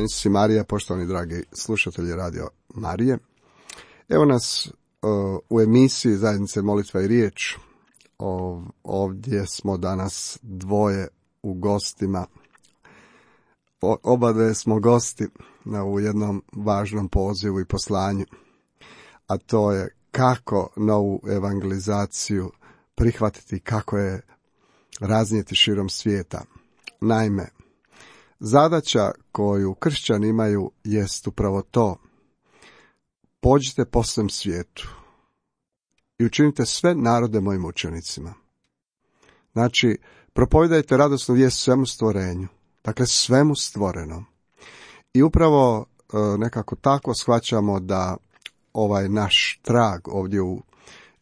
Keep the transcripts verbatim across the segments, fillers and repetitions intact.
Si Marija, poštovani dragi slušatelji Radio Marije. Evo nas uh, u emisiji Zajednice molitva i riječ. O, ovdje smo danas dvoje u gostima. O, oba dve smo gosti na u jednom važnom pozivu i poslanju. A to je kako novu evangelizaciju prihvatiti, kako je raznijeti širom svijeta. Naime, zadaća koju kršćani imaju jest upravo to. Pođite po svem svijetu i učinite sve narode mojim učenicima. Znači, propovijedajte radosnu vijest svemu stvorenju, dakle svemu stvorenom. I upravo nekako tako shvaćamo da ovaj naš trag ovdje u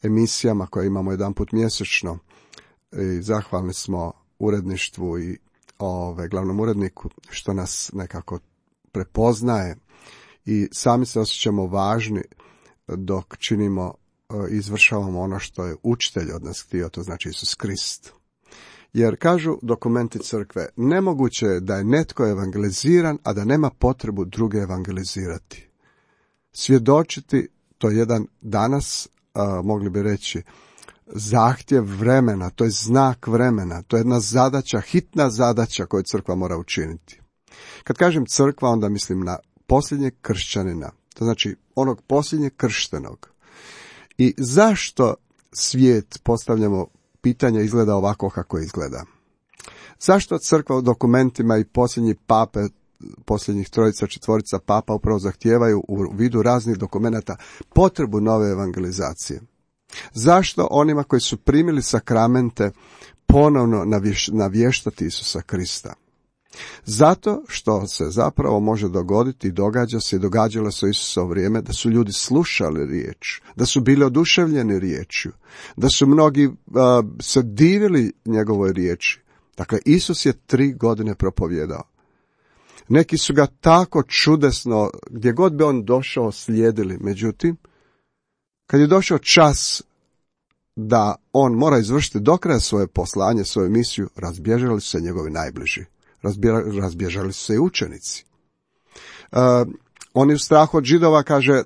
emisijama koje imamo jedanput mjesečno, i zahvalni smo uredništvu i Ove, glavnom uredniku što nas nekako prepoznaje i sami se osjećamo važni dok činimo, izvršavamo ono što je učitelj od nas htio, to znači Isus Krist. Jer kažu dokumenti crkve, nemoguće je da je netko evangeliziran, a da nema potrebu druge evangelizirati. Svjedočiti, to je jedan danas, a, mogli bi reći, zahtjev vremena, to je znak vremena, to je jedna zadaća, hitna zadaća koju crkva mora učiniti. Kad kažem crkva, onda mislim na posljednjeg kršćanina, to znači onog posljednjeg krštenog. I zašto svijet, postavljamo pitanje, izgleda ovako kako izgleda? Zašto crkva u dokumentima i posljednji pape, posljednjih trojica, četvorica papa upravo zahtijevaju u vidu raznih dokumenata potrebu nove evangelizacije? Zašto onima koji su primili sakramente ponovno navještati Isusa Krista? Zato što se zapravo može dogoditi i događa se i događalo se u Isusovo vrijeme da su ljudi slušali riječ, da su bili oduševljeni riječju, da su mnogi uh, se divili njegovoj riječi. Dakle, Isus je tri godine propovijedao. Neki su ga tako čudesno, gdje god bi on došao, slijedili. Međutim, kad je došao čas da on mora izvršiti do kraja svoje poslanje, svoju misiju, razbježali su se njegovi najbliži. Razbježali su se i učenici. Uh, oni u strahu od Židova, kaže,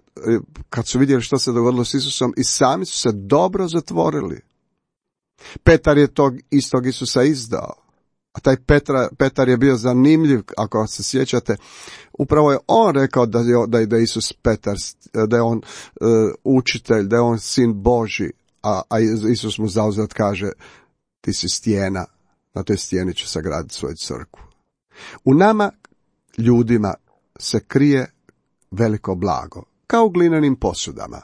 kad su vidjeli što se dogodilo s Isusom, i sami su se dobro zatvorili. Petar je tog istog Isusa izdao. A taj Petra, Petar je bio zanimljiv, ako se sjećate. Upravo je on rekao da je, da je, da je Isus Petar, da je on uh, učitelj, da je on sin Božji. A, a Isus mu zauzvrat kaže, ti si stijena, na toj stijeni ću sagraditi svoju crkvu. U nama, ljudima, se krije veliko blago, kao u glinenim posudama.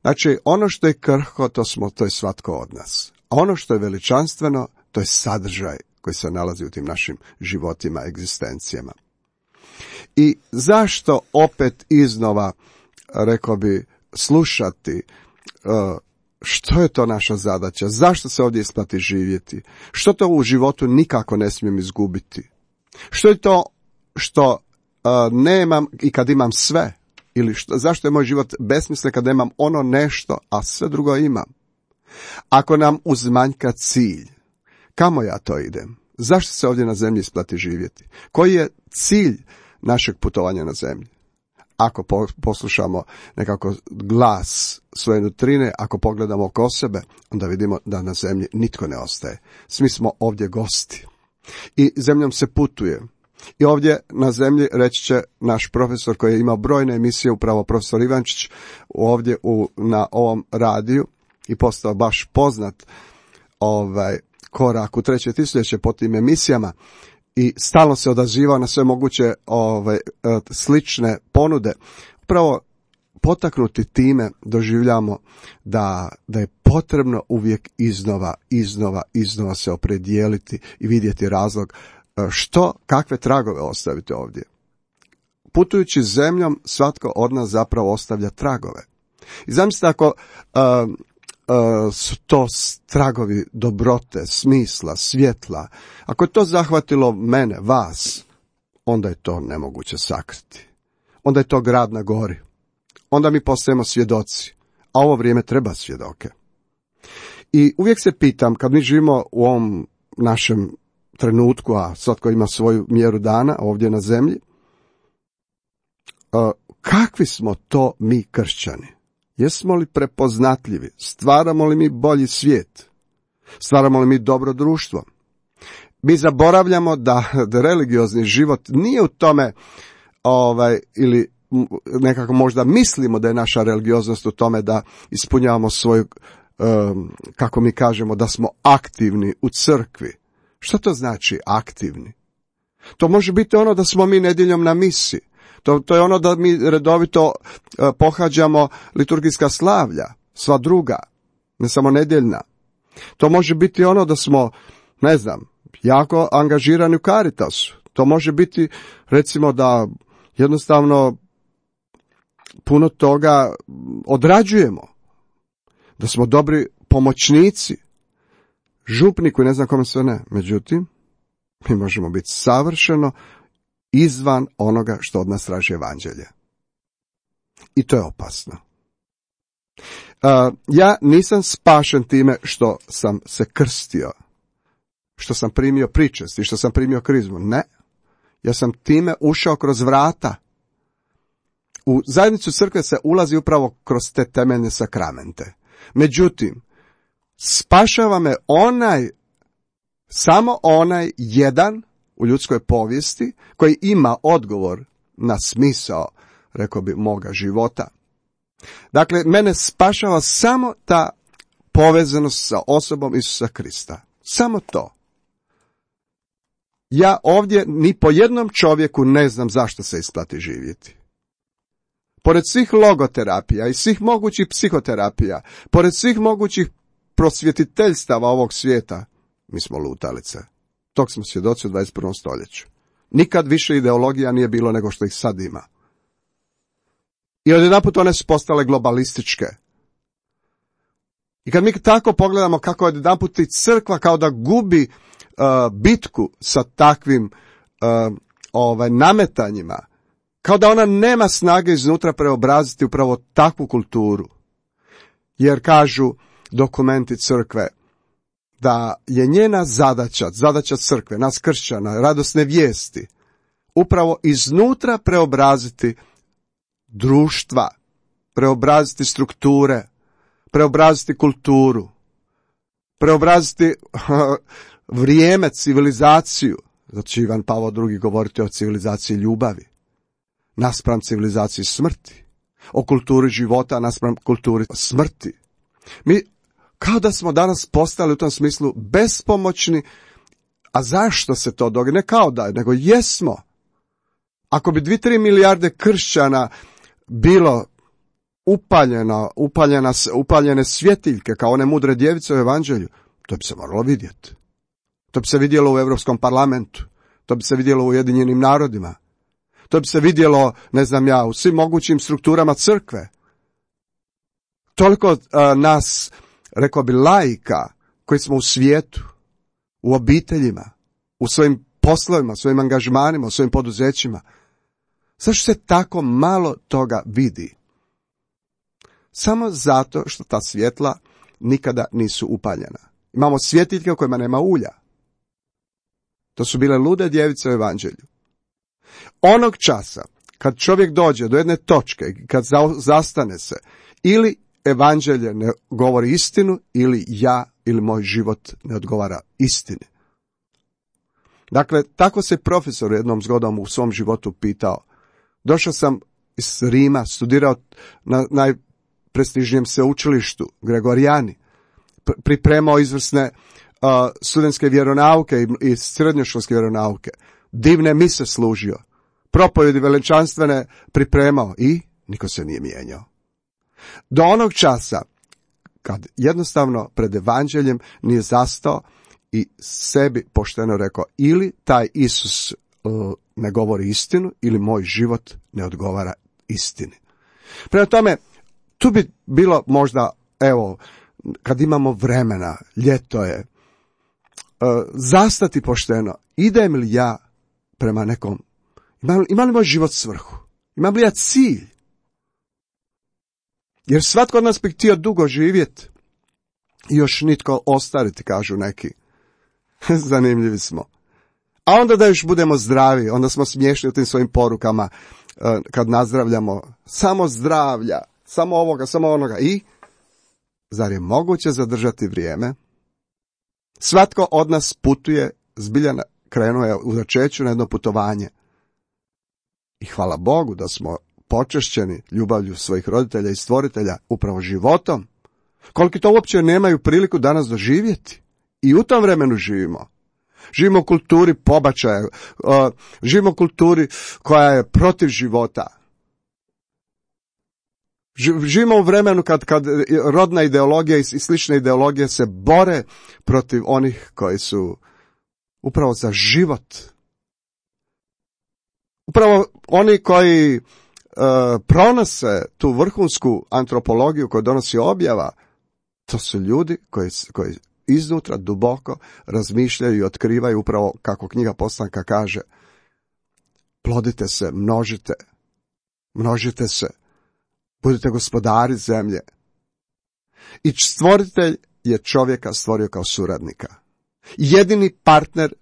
Znači, ono što je krhko, to smo, to je svatko od nas. A ono što je veličanstveno, to je sadržaj koji se nalazi u tim našim životima, egzistencijama. I zašto opet iznova, rekao bi, slušati uh, što je to naša zadaća, zašto se ovdje isplati živjeti, što to u životu nikako ne smijem izgubiti, što je to što uh, nemam i kad imam sve, ili što, zašto je moj život besmislen kad nemam ono nešto, a sve drugo imam. Ako nam uzmanjka cilj, kamo ja to idem? Zašto se ovdje na zemlji isplati živjeti? Koji je cilj našeg putovanja na zemlji? Ako poslušamo nekako glas svoje nutrine, ako pogledamo oko sebe, onda vidimo da na zemlji nitko ne ostaje. Svi smo ovdje gosti. I zemljom se putuje. I ovdje na zemlji, reći će naš profesor koji je imao brojne emisije, upravo profesor Ivančić, ovdje u, na ovom radiju i postao baš poznat ovaj korak u treće tisućljeće po tim emisijama i stalno se odazivao na sve moguće ovaj, slične ponude. Upravo potaknuti time doživljamo da, da je potrebno uvijek iznova, iznova, iznova se opredijeliti i vidjeti razlog što, kakve tragove ostaviti ovdje. Putujući zemljom, svatko od nas zapravo ostavlja tragove. I zamislite ako uh, uh, su to tragovi dobrote, smisla, svjetla, ako je to zahvatilo mene, vas, onda je to nemoguće sakriti. Onda je to grad na gori. Onda mi postajemo svjedoci, a ovo vrijeme treba svjedoke. I uvijek se pitam, kad mi živimo u ovom našem trenutku, a svatko ima svoju mjeru dana ovdje na zemlji, kakvi smo to mi kršćani? Jesmo li prepoznatljivi? Stvaramo li mi bolji svijet? Stvaramo li mi dobro društvo? Mi zaboravljamo da, da religiozni život nije u tome, ovaj, ili nekako možda mislimo da je naša religioznost u tome da ispunjavamo svoju, um, kako mi kažemo, da smo aktivni u crkvi. Što to znači aktivni? To može biti ono da smo mi nedjeljom na misi. To, to je ono da mi redovito uh, pohađamo liturgijska slavlja, sva druga, ne samo nedjeljna. To može biti ono da smo, ne znam, jako angažirani u Caritasu. To može biti, recimo, da jednostavno puno toga odrađujemo. Da smo dobri pomoćnici, župniku i ne znam kome sve ne. Međutim, mi možemo biti savršeno izvan onoga što od nas traži evanđelje. I to je opasno. Uh, ja nisam spašen time što sam se krstio, što sam primio pričest i što sam primio krizmu. Ne. Ja sam time ušao kroz vrata. U zajednicu crkve se ulazi upravo kroz te temeljne sakramente. Međutim, spašava me onaj, samo onaj jedan u ljudskoj povijesti koji ima odgovor na smisao, rekao bi, moga života. Dakle, mene spašava samo ta povezanost sa osobom Isusa Krista. Samo to. Ja ovdje ni po jednom čovjeku ne znam zašto se isplati živjeti. Pored svih logoterapija i svih mogućih psihoterapija, pored svih mogućih prosvjetiteljstava ovog svijeta, mi smo lutalice. Tog smo svjedoci u dvadeset prvom stoljeću. Nikad više ideologija nije bilo nego što ih sad ima. I odjedanput one su postale globalističke. I kad mi tako pogledamo kako odjedanput i crkva kao da gubi uh, bitku sa takvim uh, ovaj, nametanjima, kao da ona nema snage iznutra preobraziti upravo takvu kulturu. Jer kažu dokumenti crkve da je njena zadaća, zadaća crkve, nas kršćana, radosne vijesti, upravo iznutra preobraziti društva, preobraziti strukture, preobraziti kulturu, preobraziti vrijeme, civilizaciju. Zato će Ivan Pavao drugi govoriti o civilizaciji ljubavi, naspram civilizaciji smrti, o kulturi života naspram kulturi smrti. Mi kao da smo danas postali u tom smislu bespomoćni. A zašto se to događa? Ne kao da, nego jesmo. Ako bi dvi, tri milijarde kršćana bilo upaljeno, upaljena, upaljene svjetiljke kao one mudre djevice u evanđelju, to bi se moralo vidjeti. To bi se vidjelo u Europskom parlamentu, to bi se vidjelo u Ujedinjenim narodima, to bi se vidjelo, ne znam ja, u svim mogućim strukturama crkve. Toliko uh, nas, rekao bi, laika koji smo u svijetu, u obiteljima, u svojim poslovima, svojim angažmanima, u svojim poduzećima. Zašto se tako malo toga vidi? Samo zato što ta svjetla nikada nisu upaljena. Imamo svjetiljke u kojima nema ulja. To su bile lude djevice u evanđelju. Onog časa, kad čovjek dođe do jedne točke, kad zastane se, ili evanđelje ne govori istinu, ili ja, ili moj život ne odgovara istini. Dakle, tako se profesor jednom zgodom u svom životu pitao. Došao sam iz Rima, studirao na najprestižnijem sveučilištu, Gregorijani, pripremao izvrsne uh, studentske vjeronauke i, i srednjoškolske vjeronauke, divne mise služio, propovjedi veličanstvene pripremao i niko se nije mijenjao. Do onog časa kad jednostavno pred evanđeljem nije zastao i sebi pošteno rekao, ili taj Isus uh, ne govori istinu, ili moj život ne odgovara istini. Prema tome, tu bi bilo možda, evo, kad imamo vremena, ljeto je, uh, zastati pošteno, idem li ja prema nekom, imam, ima li moj život svrhu, imam li ja cilj? Jer svatko od nas bi htio dugo živjeti i još nitko ostariti, kažu neki. Zanimljivi smo. A onda da još budemo zdravi, onda smo smiješni u tim svojim porukama kad nazdravljamo. Samo zdravlja, samo ovoga, samo onoga. I zar je moguće zadržati vrijeme? Svatko od nas putuje, zbilja krenuo je u začeću na jedno putovanje. I hvala Bogu da smo počešćeni ljubavlju svojih roditelja i stvoritelja, upravo životom. Koliki to uopće nemaju priliku danas doživjeti. I u tom vremenu živimo. Živimo u kulturi pobačaja, živimo u kulturi koja je protiv života. Živimo u vremenu kad, kad rodna ideologija i slične ideologije se bore protiv onih koji su upravo za život. Upravo oni koji Uh, pronose tu vrhunsku antropologiju koju donosi objava, to su ljudi koji, koji iznutra duboko razmišljaju i otkrivaju upravo kako knjiga Postanka kaže, plodite se, množite, množite se, budite gospodari zemlje. I stvoritelj je čovjeka stvorio kao suradnika. Jedini partner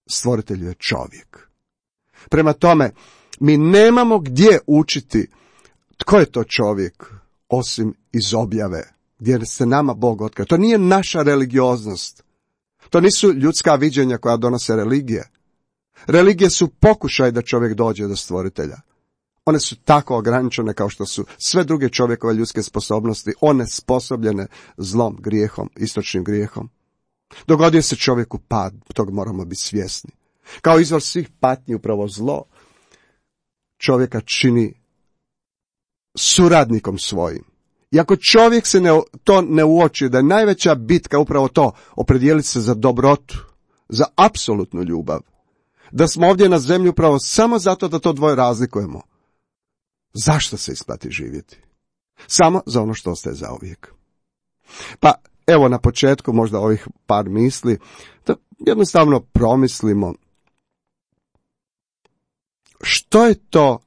stvoritelju je čovjek. Prema tome, mi nemamo gdje učiti tko je to čovjek, osim iz objave, gdje se nama Bog otkrio. To nije naša religioznost. To nisu ljudska viđenja koja donose religije. Religije su pokušaj da čovjek dođe do stvoritelja. One su tako ograničene kao što su sve druge čovjekove ljudske sposobnosti, onesposobljene zlom, grijehom, istočnim grijehom. Dogodio se čovjeku pad, tog moramo biti svjesni. Kao izvor svih patnji upravo zlo čovjeka čini suradnikom svojim. I ako čovjek se ne, to ne uoči, da je najveća bitka upravo to, opredijeliti se za dobrotu, za apsolutnu ljubav, da smo ovdje na zemlji upravo samo zato da to dvoje razlikujemo. Zašto se isplati živjeti? Samo za ono što ostaje zauvijek. Pa evo na početku možda ovih par misli, da jednostavno promislimo što je to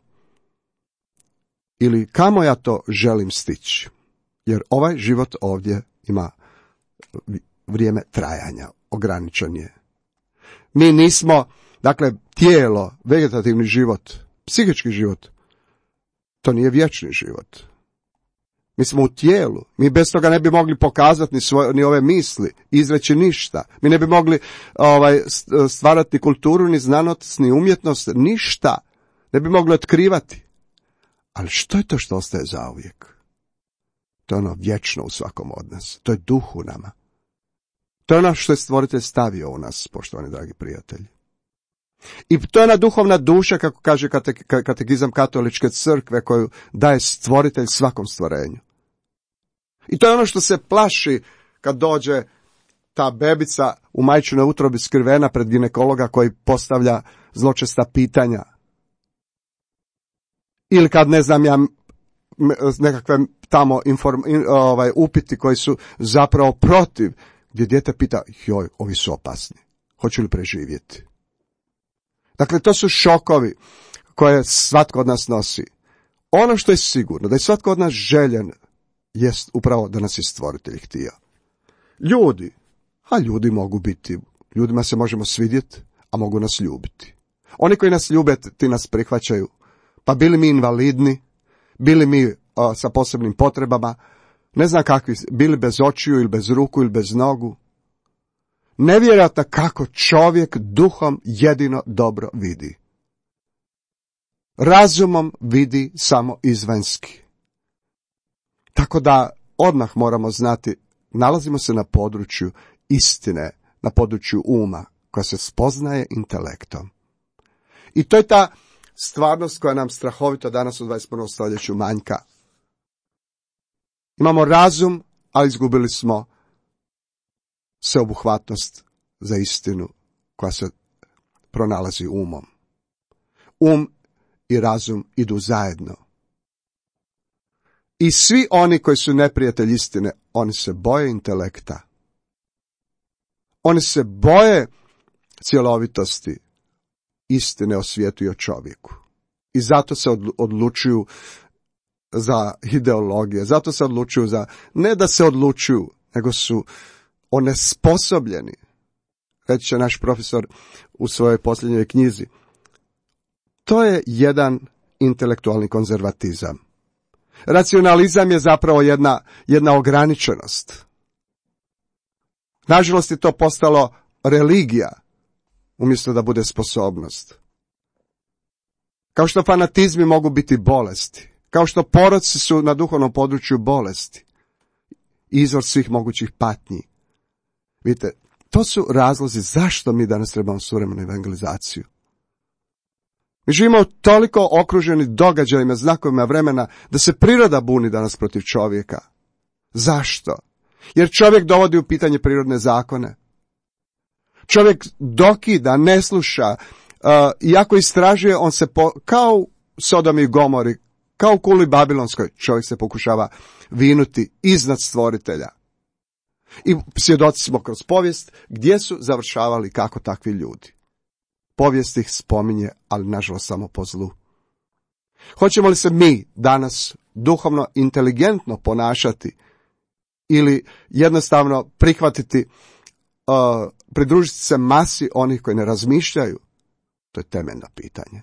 ili kamo ja to želim stići. Jer ovaj život ovdje ima vrijeme trajanja, ograničen je. Mi nismo Dakle, tijelo, vegetativni život, psihički život, to nije vječni život. Mi smo u tijelu, mi bez toga ne bi mogli pokazati ni, svoje, ni ove misli, izreći ništa. Mi ne bi mogli ovaj, stvarati kulturu, ni znanost, ni umjetnost, ništa. Ne bi mogli otkrivati. Ali što je to što ostaje zauvijek? To je ono vječno u svakom od nas. To je duh u nama. To je ono što je Stvoritelj stavio u nas, poštovani dragi prijatelji. I to je ona duhovna duša, kako kaže katekizam katoličke crkve, koju daje Stvoritelj svakom stvorenju. I to je ono što se plaši kad dođe ta bebica u majčinoj utrobi skrivena pred ginekologa koji postavlja zločesta pitanja. Ili kad, ne znam ja, nekakve tamo inform, ovaj, upiti koji su zapravo protiv, gdje dijete pita, joj, ovi su opasni, hoću li preživjeti? Dakle, to su šokovi koje svatko od nas nosi. Ono što je sigurno, da je svatko od nas željen, jest upravo da nas je Stvoritelj htio. Ljudi, a ljudi mogu biti, ljudima se možemo svidjeti, a mogu nas ljubiti. Oni koji nas ljube, ti nas prihvaćaju, pa bili mi invalidni, bili mi a, sa posebnim potrebama, ne znam kakvi, bili bez očiju ili bez ruku ili bez nogu. Nevjerojatno kako čovjek duhom jedino dobro vidi. Razumom vidi samo izvanjski. Tako da odmah moramo znati, nalazimo se na području istine, na području uma, koja se spoznaje intelektom. I to je ta stvarnost koja nam strahovito danas u dvadeset prvom stoljeću manjka. Imamo razum, ali izgubili smo sveobuhvatnost za istinu koja se pronalazi umom. Um i razum idu zajedno. I svi oni koji su neprijatelji istine, oni se boje intelekta. Oni se boje cjelovitosti istine o svijetu i o čovjeku. I zato se odlučuju za ideologije, zato se odlučuju za, ne da se odlučuju, nego su onesposobljeni. Reći će naš profesor u svojoj posljednjoj knjizi. To je jedan intelektualni konzervatizam. Racionalizam je zapravo jedna, jedna ograničenost. Nažalost je to postalo religija, umjesto da bude sposobnost. Kao što fanatizmi mogu biti bolesti, kao što poroci su na duhovnom području bolesti, izvor svih mogućih patnji. Vidite, to su razlozi zašto mi danas trebamo suvremenu evangelizaciju. Mi živimo toliko okruženi događajima, znakovima vremena, da se priroda buni danas protiv čovjeka. Zašto? Jer čovjek dovodi u pitanje prirodne zakone. Čovjek dokida, ne sluša, uh, iako istražuje, on se po, kao u Sodomi i Gomori, kao u kuli Babilonskoj, čovjek se pokušava vinuti iznad Stvoritelja. I svjedoci smo kroz povijest gdje su završavali kako takvi ljudi. Povijest ih spominje, ali nažalost samo po zlu. Hoćemo li se mi danas duhovno inteligentno ponašati ili jednostavno prihvatiti, uh, pridružiti se masi onih koji ne razmišljaju? To je temeljno pitanje.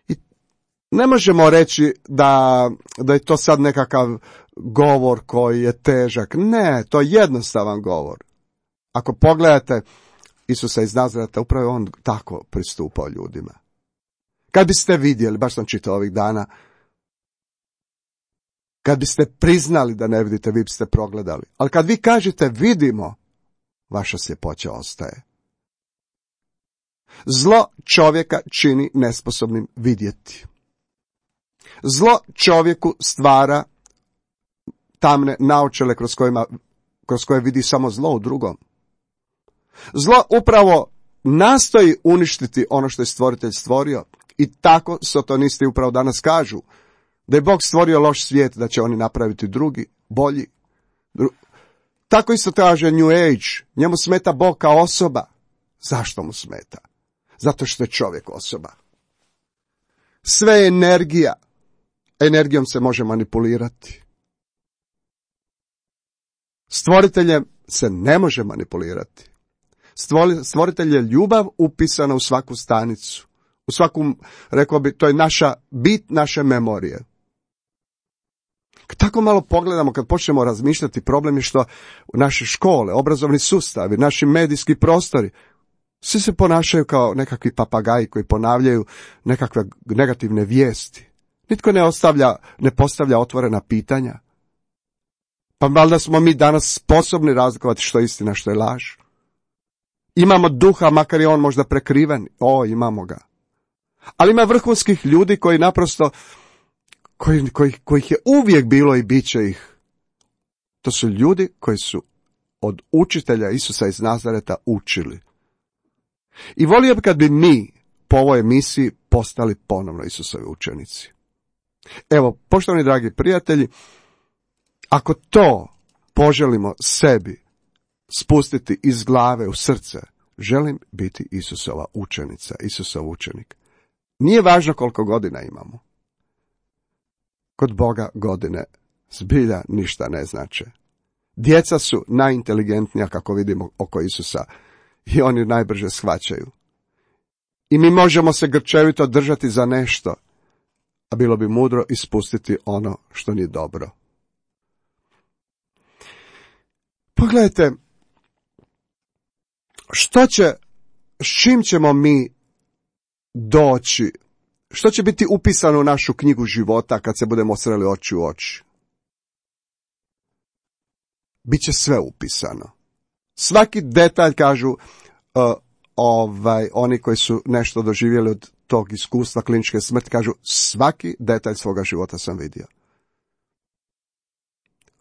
I ne možemo reći da, da je to sad nekakav govor koji je težak. Ne, to je jednostavan govor. Ako pogledate Isusa iz Nazareta, upravo on tako pristupao ljudima. Kad biste vidjeli, baš sam čitao ovih dana, kad biste priznali da ne vidite, vi biste progledali. Ali kad vi kažete vidimo, vaša sljepoća ostaje. Zlo čovjeka čini nesposobnim vidjeti. Zlo čovjeku stvara tamne naočale kroz, kojima, kroz koje vidi samo zlo u drugom. Zlo upravo nastoji uništiti ono što je Stvoritelj stvorio i tako satanisti upravo danas kažu da je Bog stvorio loš svijet, da će oni napraviti drugi, bolji. Dru... Tako isto kaže New Age, njemu smeta Bog kao osoba. Zašto mu smeta? Zato što je čovjek osoba. Sve je energija. Energijom se može manipulirati. Stvoriteljem se ne može manipulirati. Stvoritelj je ljubav upisana u svaku stanicu. U svakom, rekao bi, to je naša bit naše memorije. Kad tako malo pogledamo, kad počnemo razmišljati, problem je što naše škole, obrazovni sustavi, naši medijski prostori, svi se ponašaju kao nekakvi papagaji koji ponavljaju nekakve negativne vijesti. Nitko ne ostavlja, ne postavlja otvorena pitanja. Pa valjda smo mi danas sposobni razlikovati što je istina, što je laž. Imamo duha, makar je on možda prekriven. O, imamo ga. Ali ima vrhunskih ljudi koji naprosto, koji, koji, kojih je uvijek bilo i bit će ih. To su ljudi koji su od učitelja Isusa iz Nazareta učili. I volio bi kad bi mi po ovoj emisiji postali ponovno Isusovi učenici. Evo, poštovani dragi prijatelji, ako to poželimo sebi spustiti iz glave u srce, želim biti Isusova učenica, Isusov učenik. Nije važno koliko godina imamo. Kod Boga godine zbilja ništa ne znače. Djeca su najinteligentnija, kako vidimo, oko Isusa i oni najbrže shvaćaju. I mi možemo se grčevito držati za nešto, a bilo bi mudro ispustiti ono što nije dobro. Pogledajte, što će, s čim ćemo mi doći, što će biti upisano u našu knjigu života kad se budemo sreli oči u oči? Biće sve upisano. Svaki detalj, kažu uh, ovaj, oni koji su nešto doživjeli od tog iskustva kliničke smrti, kažu svaki detalj svoga života sam vidio.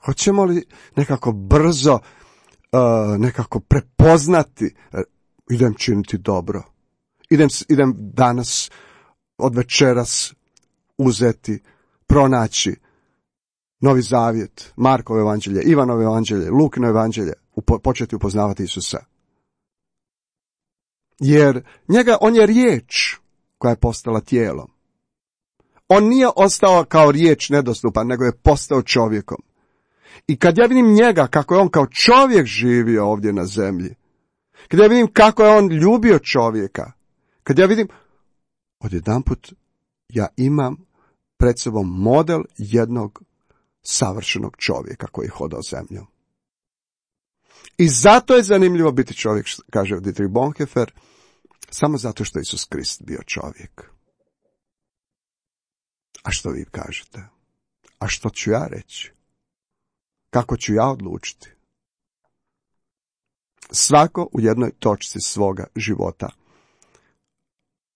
Hoćemo li nekako brzo, uh, nekako prepoznati, uh, idem činiti dobro, idem, idem danas, od večeras uzeti, pronaći Novi Zavjet, Markovo evanđelje, Ivanovo evanđelje, Lukino evanđelje, upo, početi upoznavati Isusa. Jer njega, on je riječ koja je postala tijelom. On nije ostao kao riječ nedostupan, nego je postao čovjekom. I kad ja vidim njega, kako je on kao čovjek živio ovdje na zemlji, kad ja vidim kako je on ljubio čovjeka, kad ja vidim, odjedanput ja imam pred sobom model jednog savršenog čovjeka koji hodao zemljom. I zato je zanimljivo biti čovjek, kaže Dietrich Bonhoeffer, samo zato što je Isus Krist bio čovjek. A što vi kažete? A što ću ja reći? Kako ću ja odlučiti? Svako u jednoj točci svoga života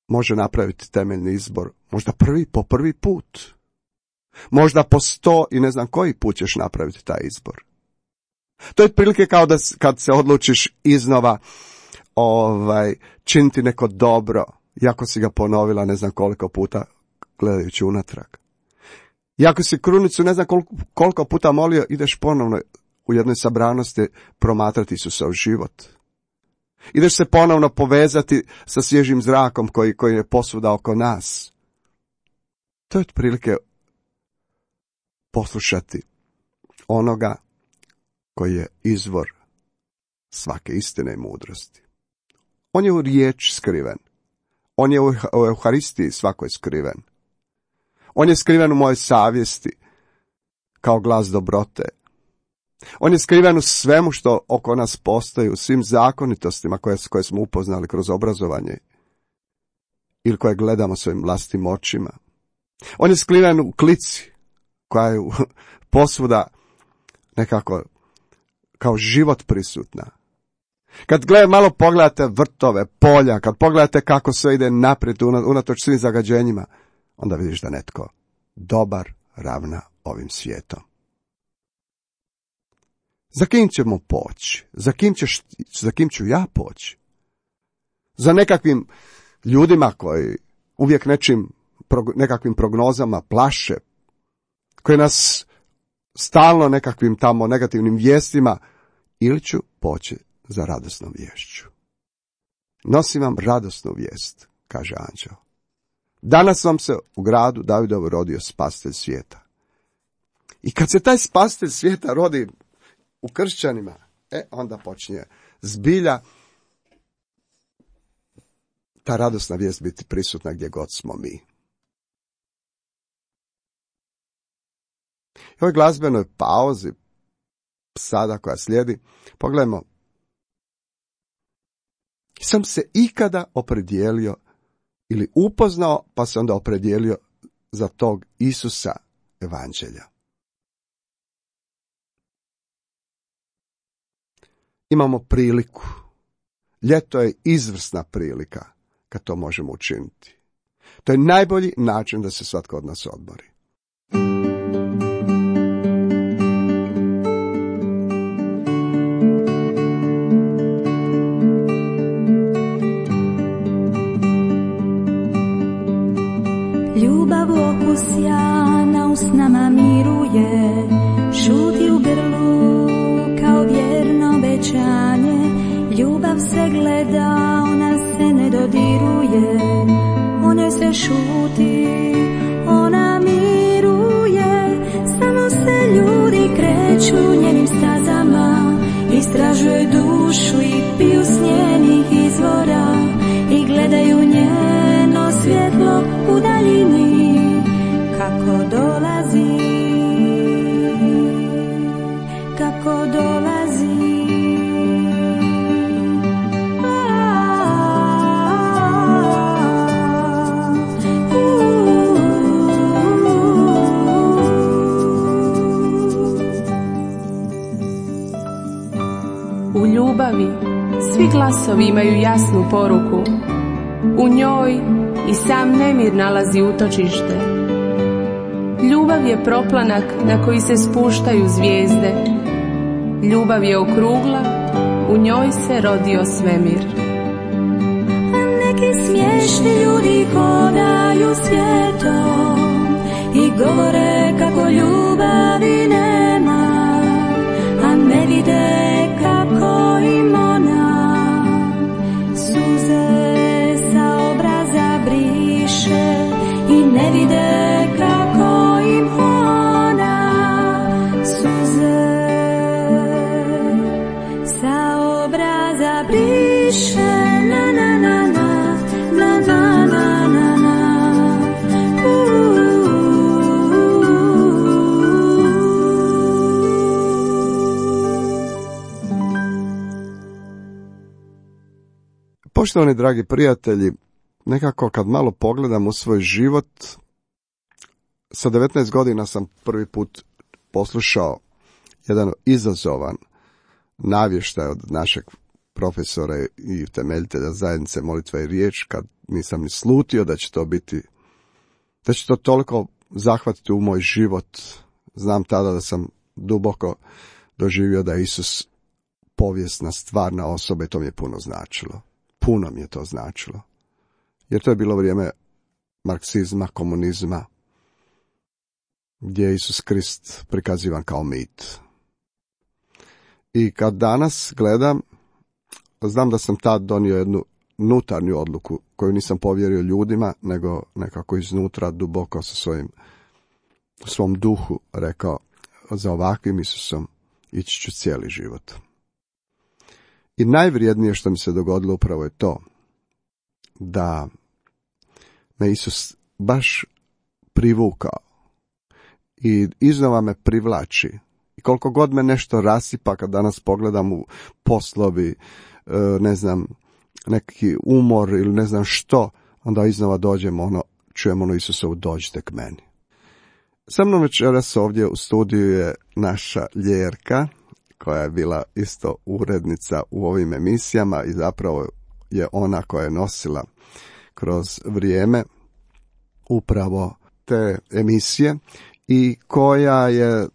može napraviti temeljni izbor, možda prvi po prvi put. Možda po sto i ne znam koji put ćeš napraviti taj izbor. To je otprilike kao da kad se odlučiš iznova ovaj, činiti neko dobro, iako si ga ponovila ne znam koliko puta gledajući unatrag. Iako si krunicu ne znam koliko, koliko puta molio, ideš ponovno u jednoj sabranosti promatrati Isusov život. Ideš se ponovno povezati sa svježim zrakom koji, koji je posvuda oko nas. To je otprilike poslušati onoga koji je izvor svake istine i mudrosti. On je u riječ skriven. On je u Euharistiji svakoj skriven. On je skriven u mojoj savjesti kao glas dobrote. On je skriven u svemu što oko nas postoji, u svim zakonitostima koje, koje smo upoznali kroz obrazovanje ili koje gledamo svojim vlastnim očima. On je skriven u klici koja je posvuda nekako kao život prisutna. Kad gled, malo pogledate vrtove, polja, kad pogledate kako sve ide naprijed unatoč svim zagađenjima, onda vidiš da netko dobar ravna ovim svijetom. Za kim ćemo poći? Za kim, ćeš, za kim ću ja poći? Za nekakvim ljudima koji uvijek nečim, nekakvim prognozama plaše, koji nas stalno nekakvim tamo negativnim vijestima, ili ću poći za radosnom viješću. Nosim vam radosnu vijest, kaže anđeo. Danas vam se u gradu Davidovu rodio spasitelj svijeta. I kad se taj spasitelj svijeta rodi u kršćanima, e, onda počinje zbilja ta radosna vijest biti prisutna gdje god smo mi. I ovoj glazbenoj pauzi, sada koja slijedi, pogledajmo. Sam se ikada opredijelio ili upoznao, pa se onda opredijelio za tog Isusa evanđelja. Imamo priliku. Ljeto je izvrsna prilika kad to možemo učiniti. To je najbolji način da se svatko od nas odmori. Ljubav okus sjana usnama miruje, šuti u grlu kao vjerno obećanje. Ljubav se gleda, ona se ne dodiruje, o njoj se šuti, ona miruje. Samo se ljudi kreću njenim stazama, istražuju dušu i piju s njenih izvora i gledaju njeno svjetlo u daljini kako dolazi, kako dolazi. U ljubavi svi glasovi imaju jasnu poruku. U njoj i sam nemir nalazi utočište. Ljubav je proplanak na koji se spuštaju zvijezde. Ljubav je okrugla, u njoj se rodio svemir. A neki smiješni ljudi hodaju svijetom i govore kako ljubavi nema, a ne vide kako im ona suze sa obraza briše i ne vide kako im ona suze sa obraza briše. Na na na na na na na na na. Poštovani dragi prijatelji, nekako kad malo pogledam u svoj život, sa devetnaest godina sam prvi put poslušao jedan izazovan navještaj od našeg profesora i temeljitelja zajednice Molitva i riječ, kad nisam ni slutio da će to biti, da će to toliko zahvatiti u moj život. Znam tada da sam duboko doživio da je Isus povijesna, stvarna osoba i to mi je puno značilo. Puno mi je to značilo. Jer to je bilo vrijeme marksizma, komunizma, gdje je Isus Krist prikazivan kao mit. I kad danas gledam, znam da sam tad donio jednu unutarnju odluku koju nisam povjerio ljudima, nego nekako iznutra, duboko sa svojim, u svom duhu rekao, za ovakvim Isusom ići ću cijeli život. I najvrijednije što mi se dogodilo upravo je to, da me Isus baš privukao i iznova me privlači. I koliko god me nešto rasipa, kad danas pogledam u poslovi, ne znam, neki umor ili ne znam što, onda iznova dođemo, ono, čujemo ono Isusovu, dođite k meni. Sa mnom večeras ovdje u studiju je naša Ljerka, koja je bila isto urednica u ovim emisijama i zapravo je ona koja je nosila kroz vrijeme upravo te emisije i koja je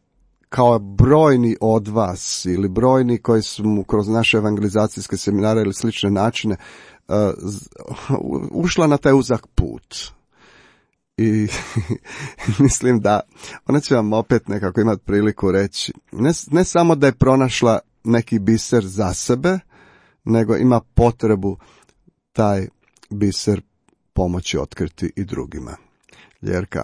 kao brojni od vas ili brojni koji su kroz naše evangelizacijske seminare ili slične načine uh, ušla na taj uzak put. I mislim da ona će vam opet nekako imati priliku reći, ne, ne samo da je pronašla neki biser za sebe, nego ima potrebu taj biser pomoći otkriti i drugima. Ljerka.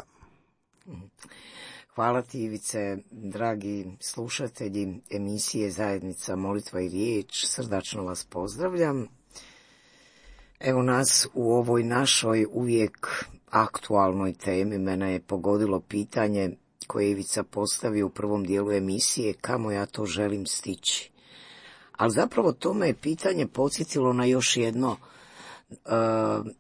Hvala ti, Ivice, dragi slušatelji emisije Zajednica Molitva i riječ, srdačno vas pozdravljam. Evo nas u ovoj našoj uvijek aktualnoj temi. Mene je pogodilo pitanje koje je Ivica postavio u prvom dijelu emisije, kamo ja to želim stići. Ali zapravo to me je pitanje podsjetilo na još jedno, e,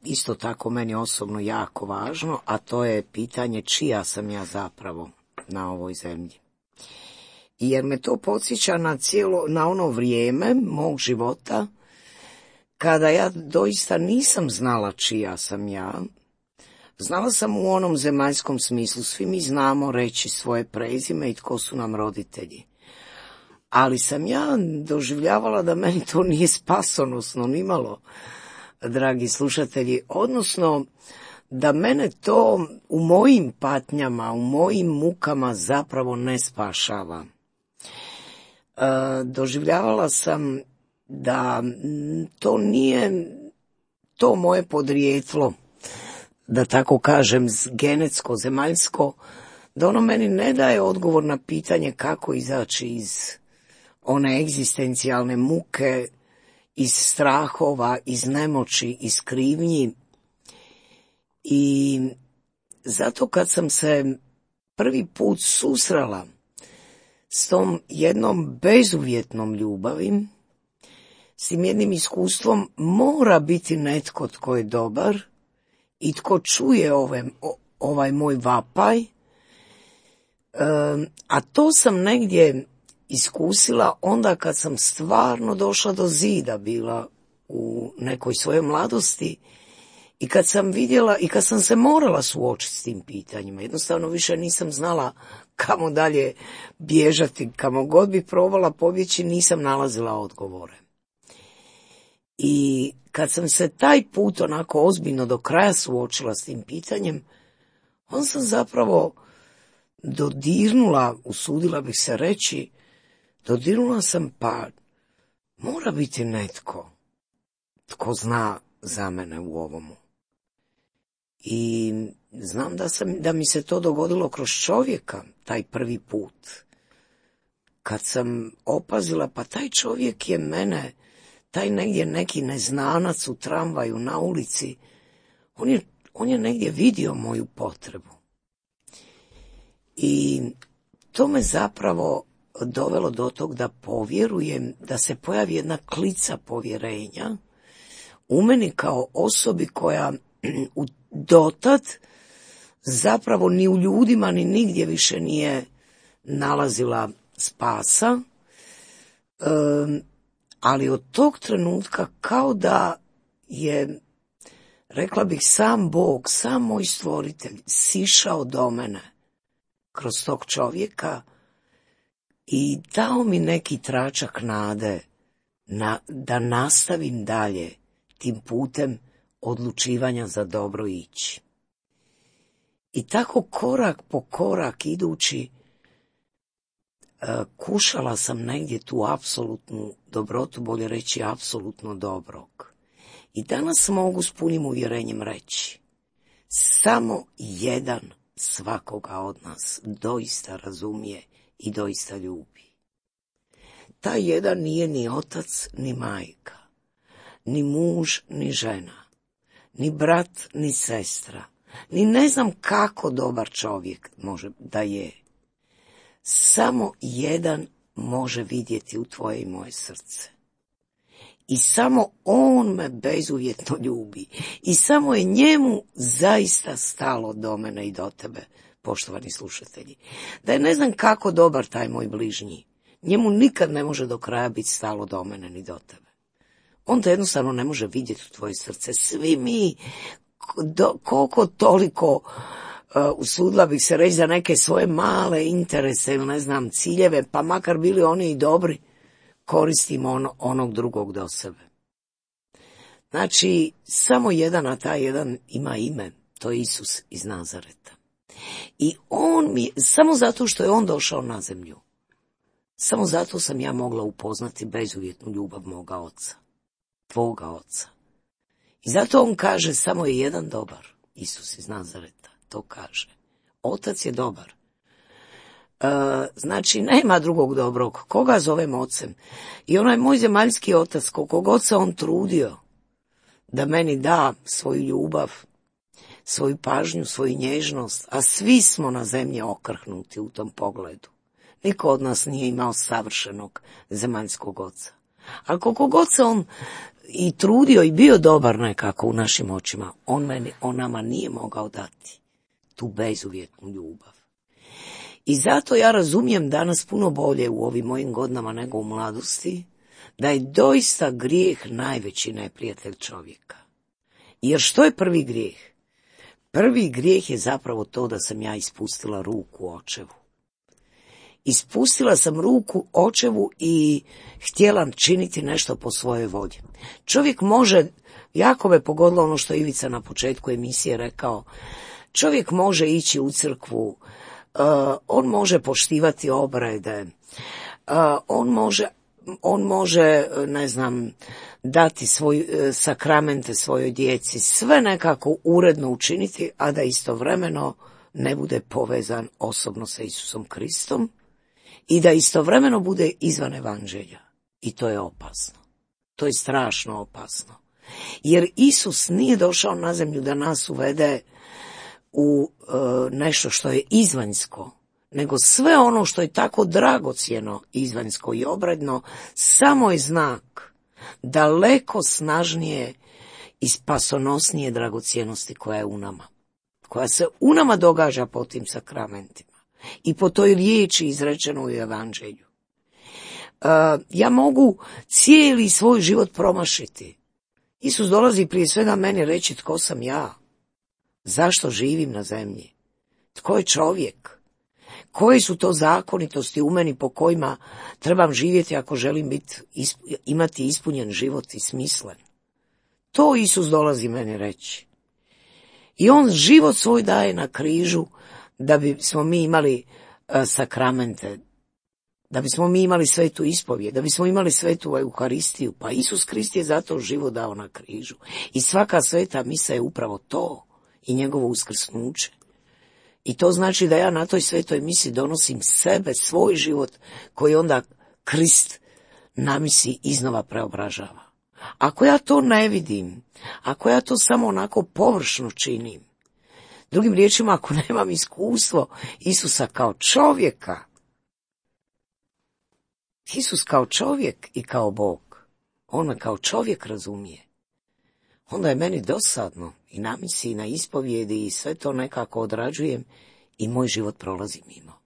isto tako meni osobno jako važno, a to je pitanje čija sam ja zapravo na ovoj zemlji. Jer me to podsjeća na cijelo, na ono vrijeme mog života kada ja doista nisam znala čija sam ja. Znala sam u onom zemaljskom smislu, svi mi znamo reći svoje prezime i tko su nam roditelji. Ali sam ja doživljavala da meni to nije spasonosno nimalo, dragi slušatelji, odnosno da mene to u mojim patnjama, u mojim mukama zapravo ne spašava. E, doživljavala sam da to nije to moje podrijetlo, da tako kažem, genetsko, zemaljsko, da ono meni ne daje odgovor na pitanje kako izaći iz one egzistencijalne muke, iz strahova, iz nemoći, iz krivnji. I zato kad sam se prvi put susrela s tom jednom bezuvjetnom ljubavi, s tim jednim iskustvom, mora biti netko tko je dobar i tko čuje ove, ovaj moj vapaj, e, a to sam negdje iskusila onda kad sam stvarno došla do zida, bila u nekoj svojoj mladosti i kad sam vidjela i kad sam se morala suočiti s tim pitanjima. Jednostavno više nisam znala kamo dalje bježati, kamo god bi probala pobjeći, nisam nalazila odgovore. I kad sam se taj put onako ozbiljno do kraja suočila s tim pitanjem, on sam zapravo dodirnula, usudila bih se reći, dodirnula sam pa mora biti netko tko zna za mene u ovomu. I znam da, sam, da mi se to dogodilo kroz čovjeka, taj prvi put. Kad sam opazila, pa taj čovjek je mene, taj negdje neki neznanac u tramvaju, na ulici, on je, on je negdje vidio moju potrebu. I to me zapravo dovelo do tog da povjerujem, da se pojavi jedna klica povjerenja u meni kao osobi koja u dotad zapravo ni u ljudima ni nigdje više nije nalazila spasa, um, ali od tog trenutka kao da je, rekla bih, sam Bog, sam moj stvoritelj sišao do mene kroz tog čovjeka i dao mi neki tračak nade na, da nastavim dalje tim putem odlučivanja za dobro ići. I tako korak po korak idući, kušala sam negdje tu apsolutnu dobrotu, bolje reći apsolutno dobrog. I danas mogu s punim uvjerenjem reći, samo jedan svakoga od nas doista razumije i doista ljubi. Taj jedan nije ni otac, ni majka, ni muž, ni žena, ni brat, ni sestra, ni ne znam kako dobar čovjek može da je. Samo jedan može vidjeti u tvoje i moje srce. I samo on me bezuvjetno ljubi. I samo je njemu zaista stalo do mene i do tebe, poštovani slušatelji. Da je ne znam kako dobar taj moj bližnji, njemu nikad ne može do kraja biti stalo do mene ni do tebe. On te jednostavno ne može vidjeti u tvoje srce. Svi mi, do, koliko toliko, uh, usudila bih se reći, za neke svoje male interese ili ne znam ciljeve, pa makar bili oni i dobri, koristimo ono, onog drugog do sebe. Znači, samo jedan, a taj jedan ima ime, to je Isus iz Nazareta. I on mi, samo zato što je on došao na zemlju, samo zato sam ja mogla upoznati bezuvjetnu ljubav moga oca, tvoga oca. I zato on kaže, samo je jedan dobar, Isus iz Nazareta, to kaže. Otac je dobar. E, znači, nema drugog dobrog. Koga zovem ocem? I onaj moj zemaljski otac, koliko god se on trudio da meni da svoju ljubav, svoju pažnju, svoju nježnost, a svi smo na zemlji okrhnuti u tom pogledu. Niko od nas nije imao savršenog zemaljskog oca. Ali koliko god se on i trudio i bio dobar nekako u našim očima, on, meni, on nama nije mogao dati tu bezuvjetnu ljubav. I zato ja razumijem danas puno bolje u ovim mojim godinama nego u mladosti, da je doista grijeh najveći neprijatelj čovjeka. Jer što je prvi grijeh? Prvi grijeh je zapravo to da sam ja ispustila ruku očevu. Ispustila sam ruku očevu i htjela činiti nešto po svojoj volji. Čovjek može, jako me pogodilo ono što je Ivica na početku emisije rekao, čovjek može ići u crkvu, uh, on može poštivati obrede, uh, on može, on može, ne znam, dati svoj, uh, sakramente svojoj djeci, sve nekako uredno učiniti, a da istovremeno ne bude povezan osobno sa Isusom Kristom, i da istovremeno bude izvan evanđelja. I to je opasno. To je strašno opasno. Jer Isus nije došao na zemlju da nas uvede u e, nešto što je izvanjsko, nego sve ono što je tako dragocjeno, izvanjsko i obredno, samo je znak daleko snažnije i spasonosnije dragocjenosti koja je u nama. Koja se u nama događa po tim sakramentima. I po toj riječi izrečenoj u evanđelju. Uh, ja mogu cijeli svoj život promašiti. Isus dolazi prije svega meni reći tko sam ja, zašto živim na zemlji, tko je čovjek, koje su to zakonitosti u meni po kojima trebam živjeti ako želim biti, imati ispunjen život i smislen. To Isus dolazi meni reći. I on život svoj daje na križu da bismo mi imali uh, sakramente, da bismo mi imali svetu ispovijed, da bismo imali svetu Euharistiju. Pa Isus Krist je zato život dao na križu. I svaka sveta misa je upravo to i njegovo uskrsnuće. I to znači da ja na toj svetoj misi donosim sebe, svoj život, koji onda Krist na misi iznova preobražava. Ako ja to ne vidim, ako ja to samo onako površno činim, drugim riječima, ako nemam iskustvo Isusa kao čovjeka, Isus kao čovjek i kao Bog, on me kao čovjek razumije, onda je meni dosadno i na misi i na ispovjedi i sve to nekako odrađujem i moj život prolazi mimo.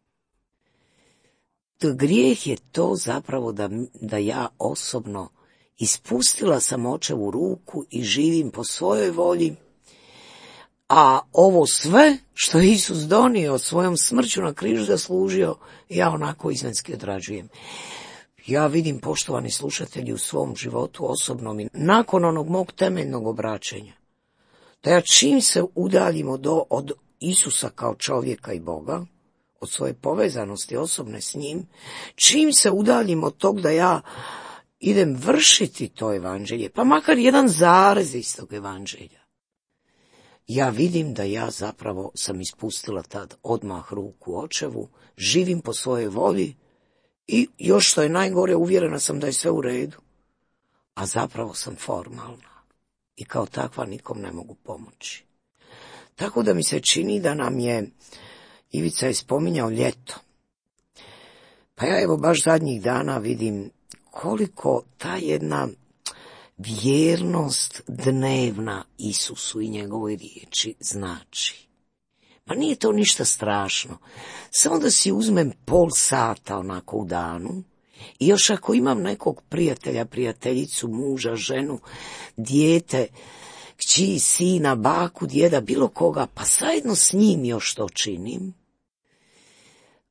To grijeh je to zapravo da, da ja osobno ispustila sam očevu ruku i živim po svojoj volji, a ovo sve što je Isus donio svojom smrću na križu zaslužio, ja onako izvanjski odrađujem. Ja vidim, poštovani slušatelji, u svom životu osobnom i nakon onog mog temeljnog obraćenja, da ja čim se udaljim od, od Isusa kao čovjeka i Boga, od svoje povezanosti osobne s njim, čim se udaljim od tog da ja idem vršiti to evanđelje, pa makar jedan zarez iz tog evanđelja, ja vidim da ja zapravo sam ispustila tad odmah ruku očevu, živim po svojoj volji i još što je najgore, uvjerena sam da je sve u redu, a zapravo sam formalna i kao takva nikom ne mogu pomoći. Tako da mi se čini da nam je, Ivica je spominjao ljeto, pa ja evo baš zadnjih dana vidim koliko ta jedna vjernost dnevna Isusu i njegovoj riječi znači. Pa nije to ništa strašno. Samo da si uzmem pol sata onako u danu i još ako imam nekog prijatelja, prijateljicu, muža, ženu, dijete, kći, sina, baku, djeda, bilo koga, pa zajedno s njim još to činim,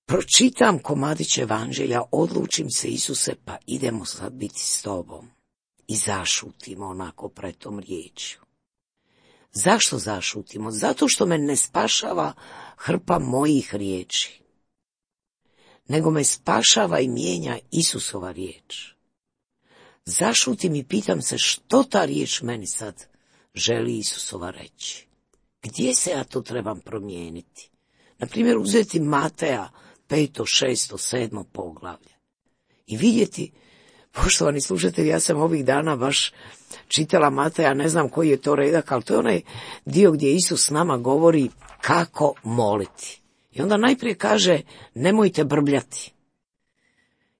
pročitam komadić evanđelja, odlučim se, Isuse, pa idemo sad biti s tobom. I zašutimo onako pred tom riječju. Zašto zašutimo? Zato što me ne spašava hrpa mojih riječi, nego me spašava i mijenja Isusova riječ. Zašutim i pitam se što ta riječ meni sad želi Isusova reći. Gdje se ja to trebam promijeniti? Naprimjer, uzeti Mateja peto, šesto, sedmo poglavlje i vidjeti Poštovani slušatelji, ja sam ovih dana baš čitala Mateja, ne znam koji je to redak, ali to je onaj dio gdje Isus nama govori kako moliti. I onda najprije kaže, nemojte brbljati.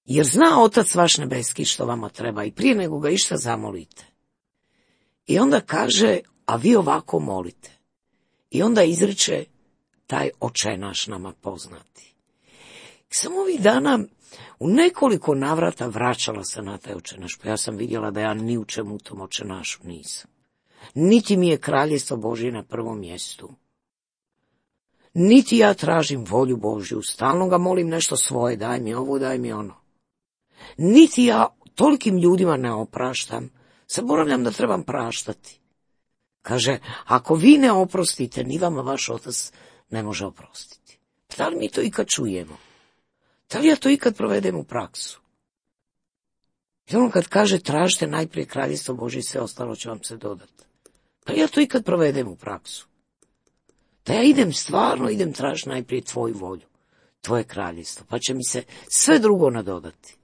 Jer zna Otac vaš nebeski što vama treba i prije nego ga išta zamolite. I onda kaže, a vi ovako molite. I onda izriče taj Oče naš nama poznati. Samo ovih dana u nekoliko navrata vraćala se na taj Oče naš, pa ja sam vidjela da ja ni u čemu u tom Oče našu nisam. Niti mi je Kraljevstvo Božje na prvom mjestu. Niti ja tražim volju Božju, stalno ga molim nešto svoje, daj mi ovo, daj mi ono. Niti ja tolikim ljudima ne opraštam, zaboravljam da trebam praštati. Kaže, ako vi ne oprostite, ni vama vaš Otac ne može oprostiti. Da li mi to ikad čujemo? Da li ja to ikad provedem u praksu? I ono kad kaže, tražite najprije Kraljevstvo Božje i sve ostalo će vam se dodati. Da li ja to ikad provedem u praksu? Da ja idem stvarno, idem tražiti najprije tvoju volju, tvoje kraljevstvo, pa će mi se sve drugo nadodati.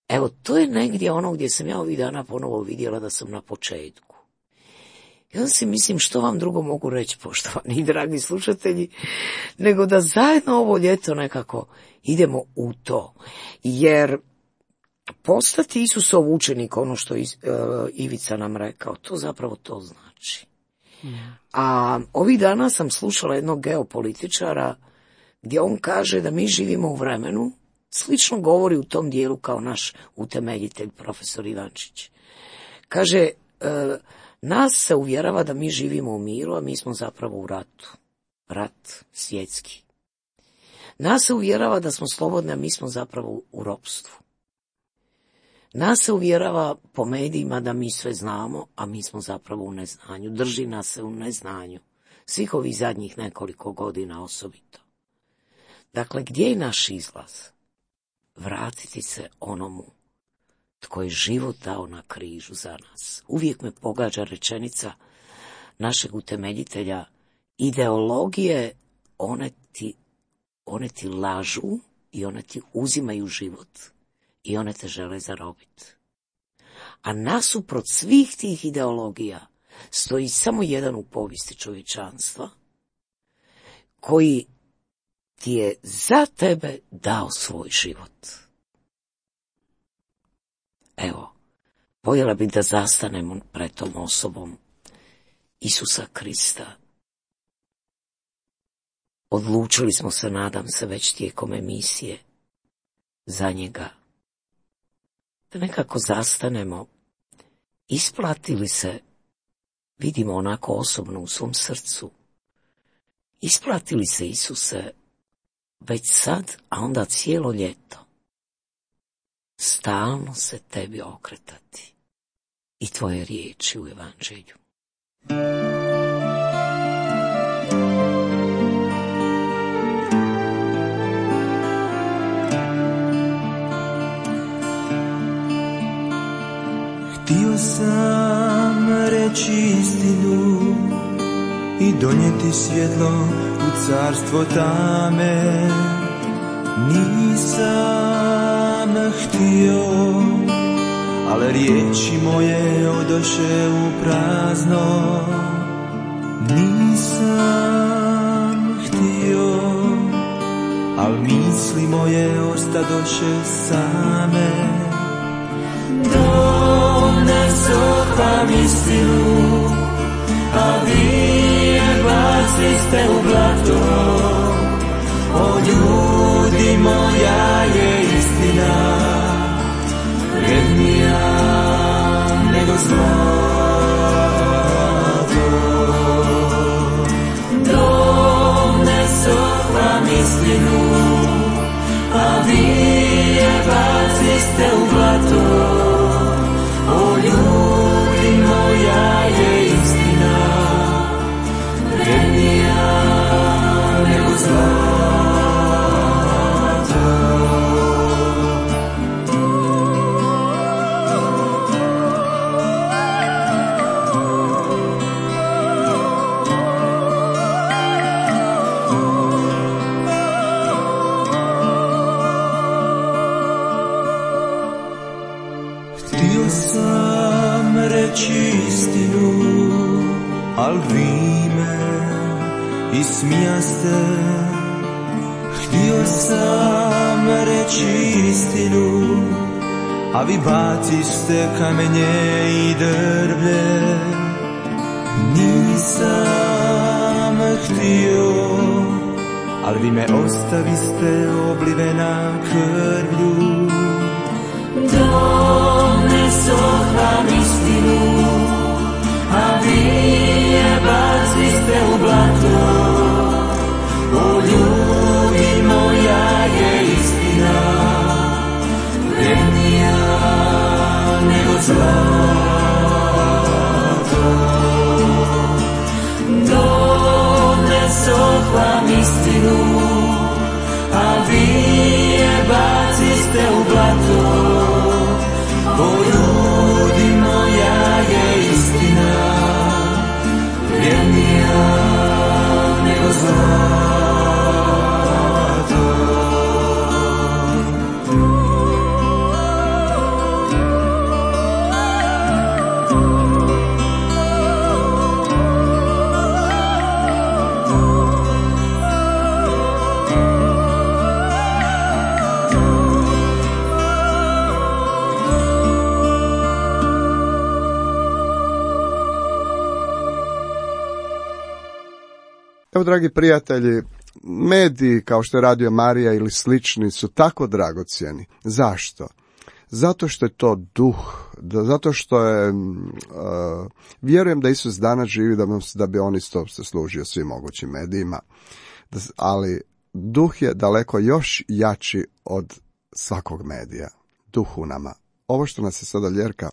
Evo, to je negdje ono gdje sam ja ovih dana ponovo vidjela da sam na početku. I onda si mislim, što vam drugo mogu reći, poštovani dragi slušatelji, nego da zajedno ovo ljeto nekako idemo u to. Jer postati Isusov učenik, ono što je uh, Ivica nam rekao, to zapravo to znači. A ovih dana sam slušala jednog geopolitičara gdje on kaže da mi živimo u vremenu, slično govori u tom dijelu kao naš utemeljitelj profesor Ivančić. Kaže, e, nas se uvjerava da mi živimo u miru, a mi smo zapravo u ratu. Rat svjetski. Nas se uvjerava da smo slobodni, a mi smo zapravo u ropstvu. Nas se uvjerava po medijima da mi sve znamo, a mi smo zapravo u neznanju. Drži nas se u neznanju. Svih ovih zadnjih nekoliko godina osobito. Dakle, gdje je naš izlaz? Vratiti se onomu tko je život dao na križu za nas. Uvijek me pogađa rečenica našeg utemeljitelja, ideologije, one ti, one ti lažu i one ti uzimaju život. I one te žele zarobiti. A nasuprot svih tih ideologija stoji samo jedan u povijesti čovječanstva koji ti je za tebe dao svoj život. Evo, voljela bih da zastanemo pred tom osobom Isusa Krista. Odlučili smo se, nadam se, već tijekom emisije za njega. Da nekako zastanemo, isplati li se, vidimo onako osobno u svom srcu, isplati li se, Isuse, već sad, a onda cijelo ljeto, stalno se tebi okretati i tvoje riječi u evanđelju. Htio sam reći istinu i donijeti svjetlo u carstvo tame. Nisam htio, ali riječi moje odoše u prazno. Nisam htio, ali misli moje ostadoše same. Donesoh vam istinu, a vi je baciste u blato. O ljudi, moja je istina vrednija nego zlato. Donesoh vam istinu, a vi je baciste u blato. O ljudi, moja je istina vrednija nego zlato. i smijaste. Htio sam reći istinu, a vi baciste kamenje i drvlje. Nisam htio, ali vi me ostaviste oblivena krvlju. Donesohvam istinu, a vi je baciste u blato. O ljudi, moja je istina vrednija nego zlato. Donesohvam istinu, a vi je baciste u blato. O ljudi, moja je istina vrednija nego zlato. Evo, dragi prijatelji, mediji kao što je Radio Marija ili slični su tako dragocjeni. Zašto? Zato što je to duh, zato što je, uh, vjerujem da Isus danas živi da, da bi on isto se služio svim mogućim medijima, ali duh je daleko još jači od svakog medija. Duh u nama. Ovo što nas je sada Ljerka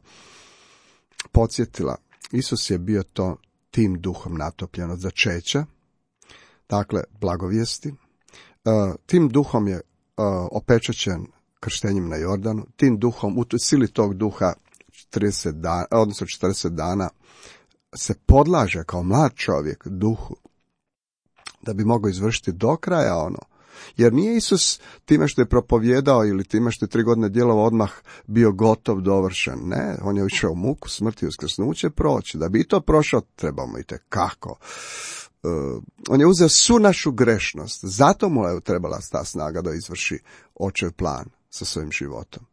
podsjetila, Isus je bio to tim duhom natopljen od začeća, dakle, blagovijesti. Tim duhom je opečaćen krštenjem na Jordanu, tim duhom, u sili tog duha trideset dana, odnosno četrdeset dana se podlaže kao mlad čovjek duhu, da bi mogao izvršiti do kraja ono. Jer nije Isus time što je propovjedao ili time što je tri godine djelovao odmah bio gotov, dovršen. Ne, on je išao u muku, smrt i uskrsnuće proći. Da bi i to prošao, trebamo i tekako. Uh, on je uzeo svu našu grešnost, zato mu je trebala ta snaga da izvrši očev plan sa svojim životom.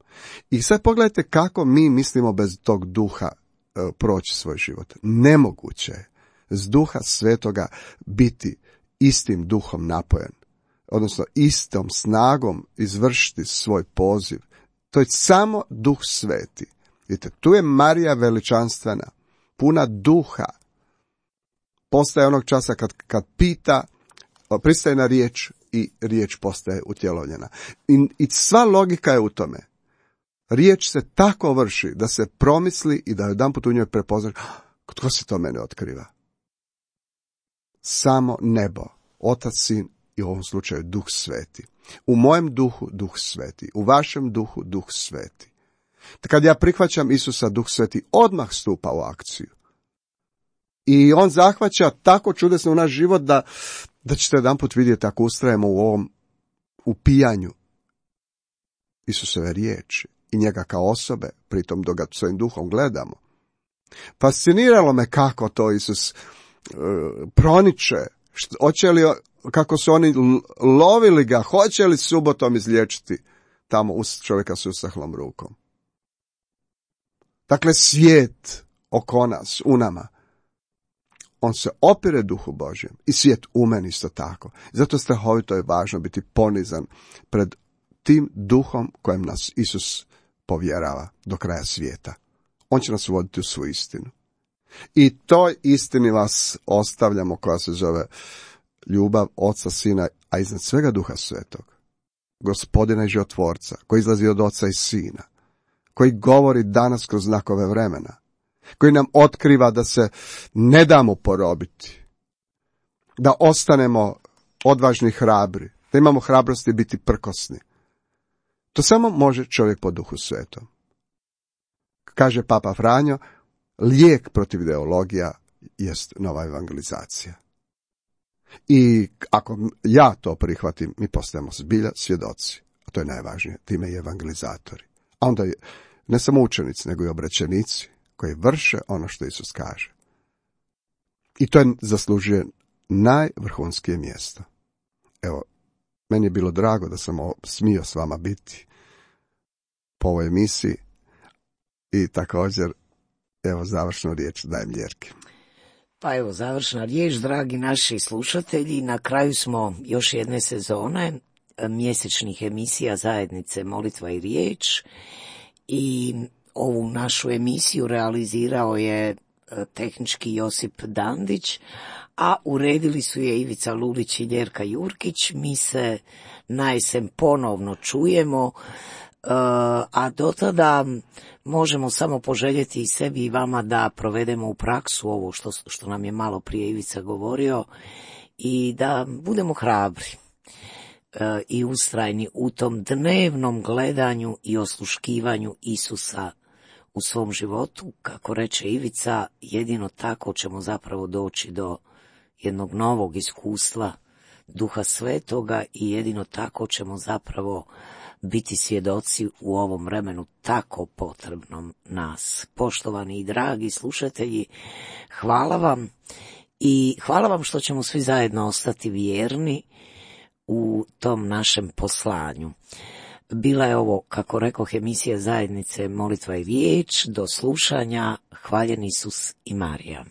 I sad pogledajte kako mi mislimo bez tog duha uh, proći svoj život. Nemoguće je s duha svetoga biti istim duhom napojen, odnosno istom snagom izvršiti svoj poziv. To je samo duh sveti. Vidite, tu je Marija veličanstvena, puna duha. Postaje onog časa kad, kad pita, pristaje na riječ i riječ postaje utjelovljena. I, I sva logika je u tome. Riječ se tako vrši da se promisli i da jedanput u njoj prepoznaš, tko se to mene otkriva? Samo nebo, Otac, Sin i u ovom slučaju Duh Sveti. U mojem duhu Duh Sveti, u vašem duhu Duh Sveti. Kad ja prihvaćam Isusa, Duh Sveti odmah stupa u akciju. I on zahvaća tako čudesno u naš život da, da ćete jedanput vidjeti ako ustrajemo u ovom upijanju Isusove riječi i njega kao osobe, pritom dok ga svojim duhom gledamo. Fasciniralo me kako to Isus uh, proniče, što, hoće li, kako su oni lovili ga, hoće li subotom izliječiti tamo us, čovjeka s usahlom rukom. Dakle, svijet oko nas, u nama, on se opire duhu Božjem i svijet u meni isto tako. Zato strahovito je važno biti ponizan pred tim duhom kojem nas Isus povjerava do kraja svijeta. On će nas voditi u svu istinu. I toj istini vas ostavljamo, koja se zove ljubav Oca, Sina, a iznad svega Duha Svetog. Gospodina i životvorca, koji izlazi od Oca i Sina, koji govori danas kroz znakove vremena, koji nam otkriva da se ne damo porobiti, da ostanemo odvažni i hrabri, da imamo hrabrosti biti prkosni. To samo može čovjek po Duhu Svetom. Kaže Papa Franjo, lijek protiv ideologija jest nova evangelizacija. I ako ja to prihvatim, mi postajemo zbilja svjedoci. A to je najvažnije, time i evangelizatori. A onda je ne samo učenici, nego i obraćenici koji vrše ono što Isus kaže. I to je zaslužuje najvrhunskije mjesto. Evo, meni je bilo drago da sam smio s vama biti po ovoj emisiji i također, evo, završnu riječ dajem Ljerki. Pa evo, završna riječ, dragi naši slušatelji, na kraju smo još jedne sezone mjesečnih emisija zajednice Molitva i riječ i ovu našu emisiju realizirao je tehnički Josip Dandić, a uredili su je Ivica Lulić i Ljerka Jurkić. Mi se na jesen ponovno čujemo, a do tada možemo samo poželjeti i sebi i vama da provedemo u praksu ovo što, što nam je malo prije Ivica govorio i da budemo hrabri i ustrajni u tom dnevnom gledanju i osluškivanju Isusa u svom životu. Kako reče Ivica, jedino tako ćemo zapravo doći do jednog novog iskustva Duha Svetoga i jedino tako ćemo zapravo biti svjedoci u ovom vremenu tako potrebnom nas. Poštovani i dragi slušatelji, hvala vam i hvala vam što ćemo svi zajedno ostati vjerni u tom našem poslanju. Bila je ovo, kako rekoh, emisija zajednice Molitva i riječ. Do slušanja. Hvaljen Isus i Marija.